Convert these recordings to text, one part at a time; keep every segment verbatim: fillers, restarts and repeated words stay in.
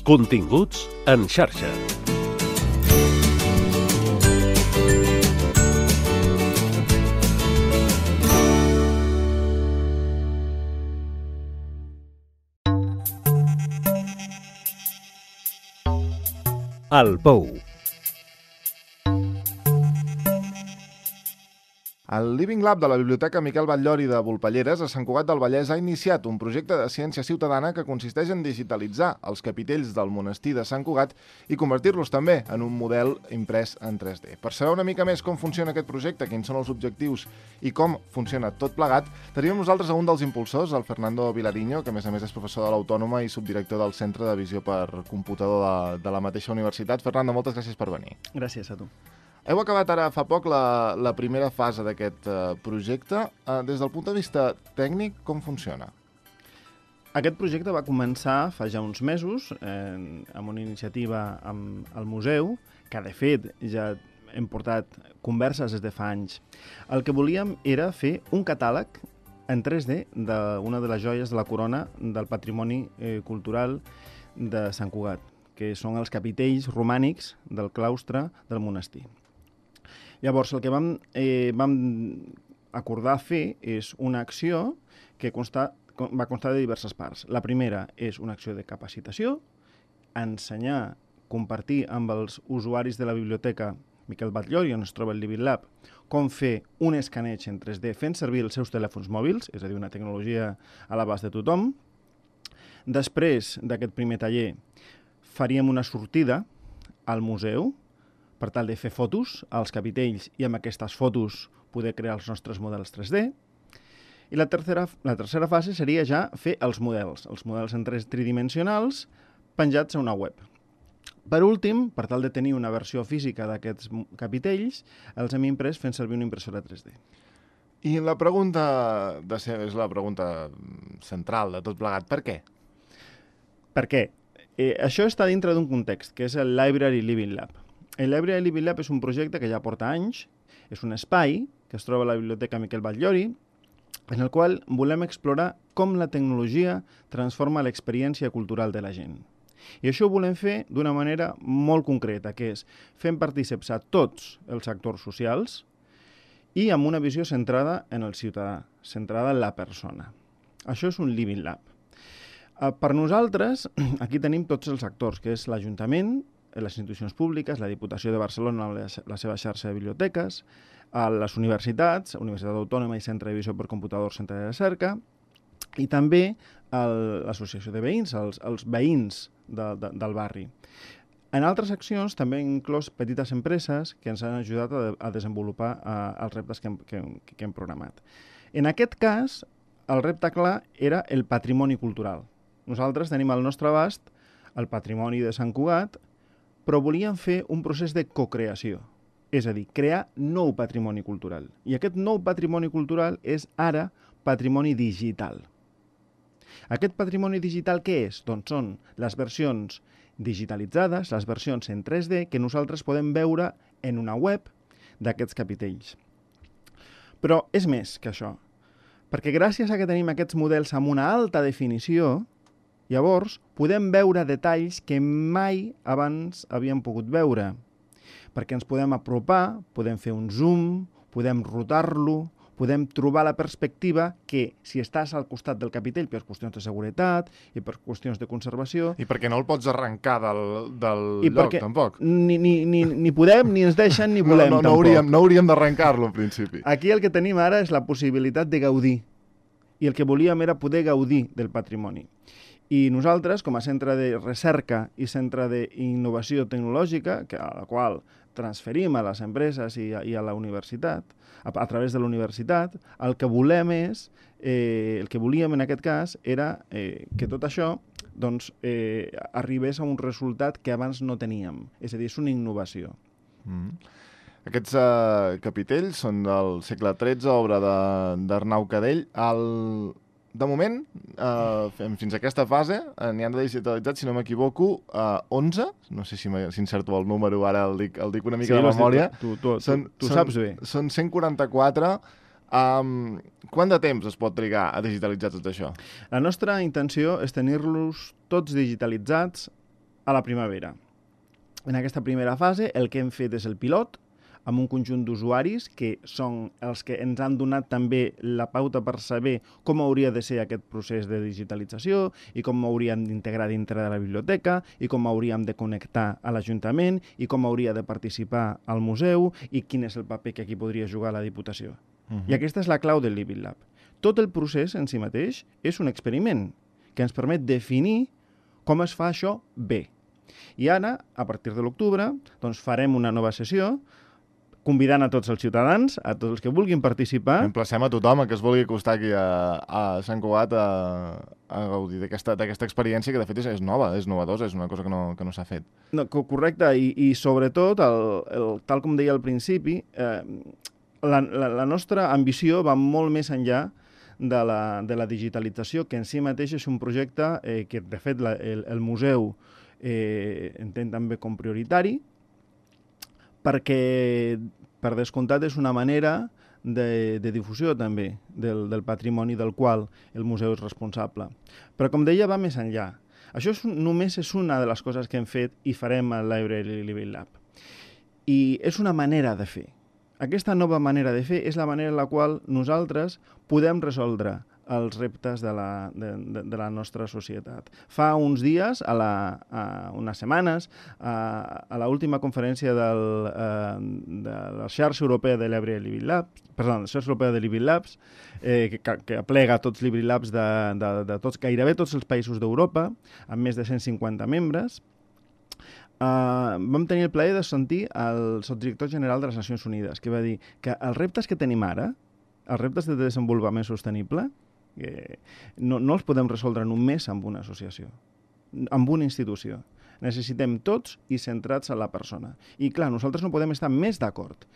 Continguts en xarxa. El Pou. El Living Lab de la Biblioteca Miquel Batllori de Volpelleres a Sant Cugat del Vallès ha iniciat un projecte de ciència ciutadana que consisteix en digitalitzar els capitells del monestir de Sant Cugat i convertir-los també en un model imprès en tres D. Per saber una mica més com funciona aquest projecte, quins són els objectius i com funciona tot plegat, tenim nosaltres a un dels impulsors, el Fernando Vilariño, que a més a més és professor de l'Autònoma i subdirector del Centre de Visió per Computador de, de la mateixa universitat. Fernando, moltes gràcies per venir. Gràcies a tu. Heu acabat ara fa poc la, la primera fase d'aquest uh, projecte. Uh, des del punt de vista tècnic, com funciona? Aquest projecte va començar fa ja uns mesos eh, amb una iniciativa amb el museu, que de fet ja hem portat converses des de fa anys. El que volíem era fer un catàleg en tres D d'una de les joies de la corona del patrimoni eh, cultural de Sant Cugat, que són els capitells romànics del claustre del monestir. Llavors, el que vam, eh, vam acordar fer és una acció que consta, va constar de diverses parts. La primera és una acció de capacitació, ensenyar, compartir amb els usuaris de la biblioteca Miquel Batllori, on es troba el Living Lab, com fer un escaneig en tres D fent servir els seus telèfons mòbils, és a dir, una tecnologia a l'abast de tothom. Després d'aquest primer taller, faríem una sortida al museu, per tal de fer fotos als capitells i amb aquestes fotos poder crear els nostres models tres D. I la tercera, la tercera fase seria ja fer els models, els models en tres tridimensionals penjats a una web. Per últim, per tal de tenir una versió física d'aquests capitells, els hem imprès fent servir una impressora tres D. I la pregunta de ser, és la pregunta central de tot plegat. Per què? Per què? Eh, això està dintre d'un context, que és el Library Living Lab. El Library Living Lab és un projecte que ja porta anys, és un espai que es troba a la Biblioteca Miquel Batllori, en el qual volem explorar com la tecnologia transforma l'experiència cultural de la gent. I això ho volem fer d'una manera molt concreta, que és fent partícips a tots els actors socials i amb una visió centrada en el ciutadà, centrada en la persona. Això és un Living Lab. Per nosaltres, aquí tenim tots els actors, que és l'Ajuntament, les institucions públiques, la Diputació de Barcelona, la seva xarxa de biblioteques, les universitats, Universitat Autònoma i Centre de Visió per Computador, Centre de Recerca, i també l'Associació de Veïns, els, els veïns de, de, del barri. En altres accions també hem inclòs petites empreses que ens han ajudat a, a desenvolupar a, els reptes que hem, que, que hem programat. En aquest cas, el repte clar era el patrimoni cultural. Nosaltres tenim al nostre abast el patrimoni de Sant Cugat, però volíem fer un procés de cocreació, és a dir, crear nou patrimoni cultural. I aquest nou patrimoni cultural és ara patrimoni digital. Aquest patrimoni digital què és? Doncs són les versions digitalitzades, les versions en tres D, que nosaltres podem veure en una web d'aquests capitells. Però és més que això, perquè gràcies a que tenim aquests models amb una alta definició, llavors, podem veure detalls que mai abans havíem pogut veure, perquè ens podem apropar, podem fer un zoom, podem rotar-lo, podem trobar la perspectiva que, si estàs al costat del capitell per qüestions de seguretat i per qüestions de conservació... I perquè no el pots arrencar del, del I lloc, tampoc. Ni, ni, ni, ni podem, ni ens deixen, ni volem, no, no, no tampoc. Hauríem, no hauríem d'arrencar-lo, en principi. Aquí el que tenim ara és la possibilitat de gaudir. I el que volíem era poder gaudir del patrimoni. I nosaltres, com a centre de recerca i centre d'innovació tecnològica, que, a la qual transferim a les empreses i a, i a la universitat, a, a través de la universitat, el que volem és, eh, el que volíem en aquest cas era eh, que tot això doncs, eh, arribés a un resultat que abans no teníem. És a dir, és una innovació. Mm. Aquests uh, capitells són del segle tretze, obra d'Arnau Cadell. El... De moment, uh, fins a aquesta fase, uh, n'hi han de digitalitzats, si no m'equivoco, uh, onze, no sé si, si encerto el número, ara el dic, el dic una mica sí, de memòria. Tu, tu, tu, són, tu són, saps bé. Són cent quaranta-quatre. Um, quant de temps es pot trigar a digitalitzar tot això? La nostra intenció és tenir-los tots digitalitzats a la primavera. En aquesta primera fase el que hem fet és el pilot, amb un conjunt d'usuaris que són els que ens han donat també la pauta per saber com hauria de ser aquest procés de digitalització i com hauríem d'integrar dintre de la biblioteca i com hauríem de connectar a l'Ajuntament i com hauria de participar al museu i quin és el paper que aquí podria jugar la Diputació. Uh-huh. I aquesta és la clau del Living Lab. Tot el procés en si mateix és un experiment que ens permet definir com es fa això bé. I ara, a partir de l'octubre, doncs farem una nova sessió convidant a tots els ciutadans, a tots els que vulguin participar. Emplacem a tothom a que es vulgui acostar aquí a, a Sant Cugat a, a gaudir d'aquesta experiència que de fet és, és nova, és novedosa, és una cosa que no, que no s'ha fet. No, correcte, i, i sobretot, el, el, tal com deia al principi, eh, la, la, la nostra ambició va molt més enllà de la, de la digitalització, que en si mateix és un projecte eh, que, de fet, la, el, el museu eh, entén també com prioritari, perquè, per descomptat, és una manera de, de difusió també del, del patrimoni del qual el museu és responsable. Però, com deia, va més enllà. Això és, només és una de les coses que hem fet i farem al Library Living Lab. I és una manera de fer. Aquesta nova manera de fer és la manera en la qual nosaltres podem resoldre els reptes de la, de, de, de la nostra societat. Fa uns dies, a, la, a unes setmanes, a, a l'última conferència del, a, de la xarxa europea de Library Living Labs, perdó, la xarxa europea de Living Labs, eh, que, que aplega tots els Living Labs de, de, de tots, gairebé tots els països d'Europa, amb més de cent cinquanta membres, Uh, vam tenir el plaer de sentir el subdirector general de les Nacions Unides, que va dir que els reptes que tenim ara, els reptes de desenvolupament sostenible, eh, no, no els podem resoldre només amb una associació, amb una institució. Necessitem tots i centrats en la persona. I clar, nosaltres no podem estar més d'acord.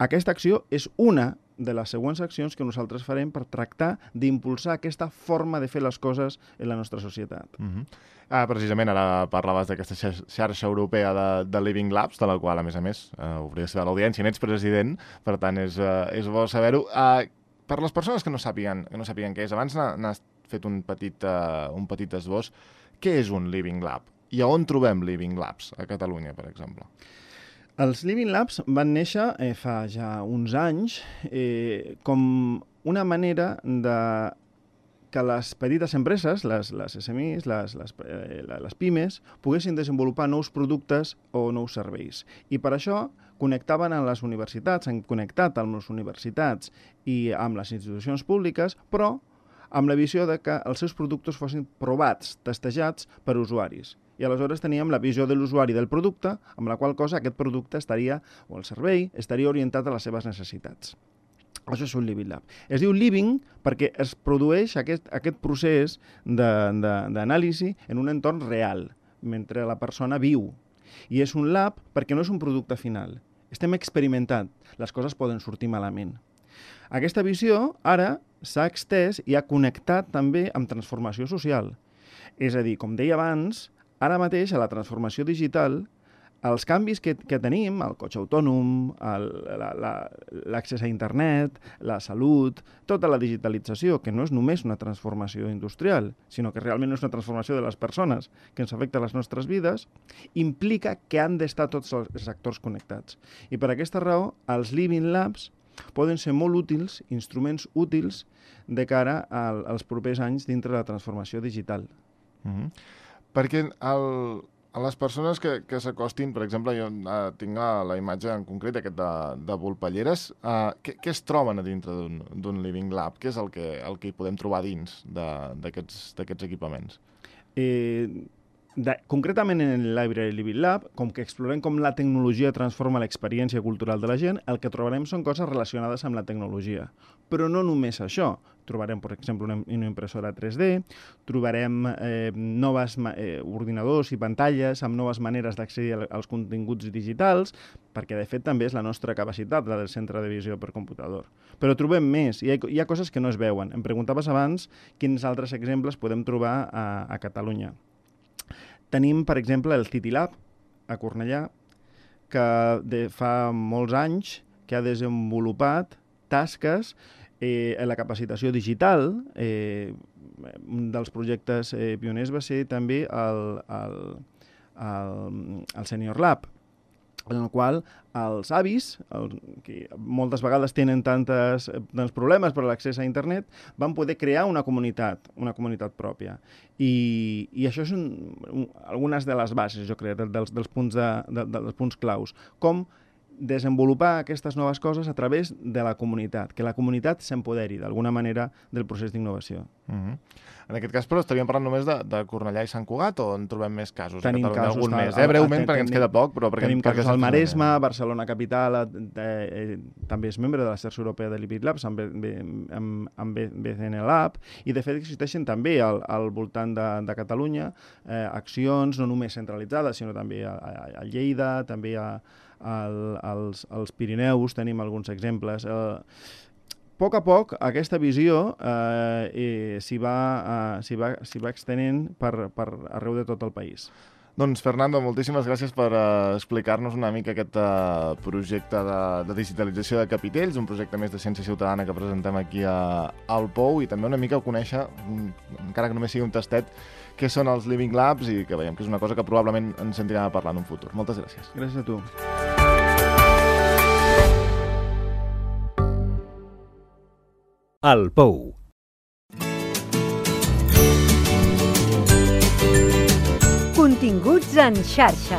Aquesta acció és una de les següents accions que nosaltres farem per tractar d'impulsar aquesta forma de fer les coses en la nostra societat. Uh-huh. ah, precisament, ara parlaves d'aquesta xarxa europea de, de Living Labs, de la qual, a més a més, uh, hauries de l'audiència, n'ets president, per tant, és, uh, és bo saber-ho. Uh, per les persones que no sàpiguen, que no sàpiguen què és, abans n'has fet un petit, uh, un petit esbós, què és un Living Lab? I a on trobem Living Labs? A Catalunya, per exemple. Els Living Labs van néixer eh, fa ja uns anys eh, com una manera de que les petites empreses, les, les S M Is, les, les, eh, les pimes, poguessin desenvolupar nous productes o nous serveis. I per això connectaven amb les universitats, han connectat amb les universitats i amb les institucions públiques, però amb la visió de que els seus productes fossin provats, testejats per usuaris. I aleshores teníem la visió de l'usuari del producte, amb la qual cosa aquest producte estaria, o el servei, estaria orientat a les seves necessitats. Això és un Living Lab. Es diu Living perquè es produeix aquest, aquest procés d'anàlisi en un entorn real, mentre la persona viu. I és un lab perquè no és un producte final. Estem experimentant. Les coses poden sortir malament. Aquesta visió ara s'ha extès i ha connectat també amb transformació social. És a dir, com deia abans, ara mateix, a la transformació digital, els canvis que, que tenim, el cotxe autònom, l'accés a internet, la salut, tota la digitalització, que no és només una transformació industrial, sinó que realment és una transformació de les persones que ens afecta a les nostres vides, implica que han d'estar tots els actors connectats. I per aquesta raó, els Living Labs poden ser molt útils, instruments útils, de cara al, als propers anys dintre de la transformació digital. Mm-hmm. Perquè el, a les persones que, que s'acostin, per exemple, jo uh, tinc uh, la imatge en concret aquest de, de Volpelleres, uh, què, què es troben a dintre d'un Living Lab? Què és el que, el que hi podem trobar dins d'aquests equipaments? Eh, de, concretament en el Library Living Lab, com que explorem com la tecnologia transforma l'experiència cultural de la gent, el que trobarem són coses relacionades amb la tecnologia. Però no només això. Trobarem, per exemple, una, una impressora tres D, trobarem eh, noves eh, ordinadors i pantalles amb noves maneres d'accedir als continguts digitals, perquè de fet també és la nostra capacitat, la del centre de visió per computador. Però trobem més, hi ha, hi ha coses que no es veuen. Em preguntaves abans quins altres exemples podem trobar a, a Catalunya. Tenim, per exemple, el City Lab, a Cornellà, que de fa molts anys que ha desenvolupat tasques eh, en la capacitació digital. Eh, un dels projectes eh, pioners va ser també el, el, el, el Senior Lab, en el qual els avis, el, que moltes vegades tenen tantes, tants problemes per l'accés a internet, van poder crear una comunitat, una comunitat pròpia. I, i això són un, algunes de les bases, jo crec, dels, dels, punts, de, de, dels punts claus. Com desenvolupar aquestes noves coses a través de la comunitat, que la comunitat s'empoderi d'alguna manera del procés d'innovació. Uh-huh. En aquest cas, però, estaríem parlant només de, de Cornellà i Sant Cugat o en trobem més casos? Tenim a Catalunya, casos... algun A, més, eh? Breument, a, perquè ens queda poc, però... Perquè, tenim perquè casos al Maresme, Barcelona Capital, eh, eh, també és membre de la xarxa europea de Libid Labs, amb, amb, amb B C N Lab, i de fet existeixen també al, al voltant de, de Catalunya eh, accions no només centralitzades, sinó també a, a, a Lleida, també a, al, als, als Pirineus, tenim alguns exemples. Eh, A poc a poc, aquesta visió eh, eh, s'hi va, eh, s'hi va, s'hi va extenent per, per arreu de tot el país. Doncs, Fernando, moltíssimes gràcies per uh, explicar-nos una mica aquest uh, projecte de, de digitalització de Capitells, un projecte més de ciència ciutadana que presentem aquí a, al Pou, i també una mica conèixer, encara que només sigui un tastet, què són els Living Labs, i que veiem que és una cosa que probablement ens sentirem a parlar en un futur. Moltes gràcies. Gràcies a tu. El Pou. Continguts en xarxa.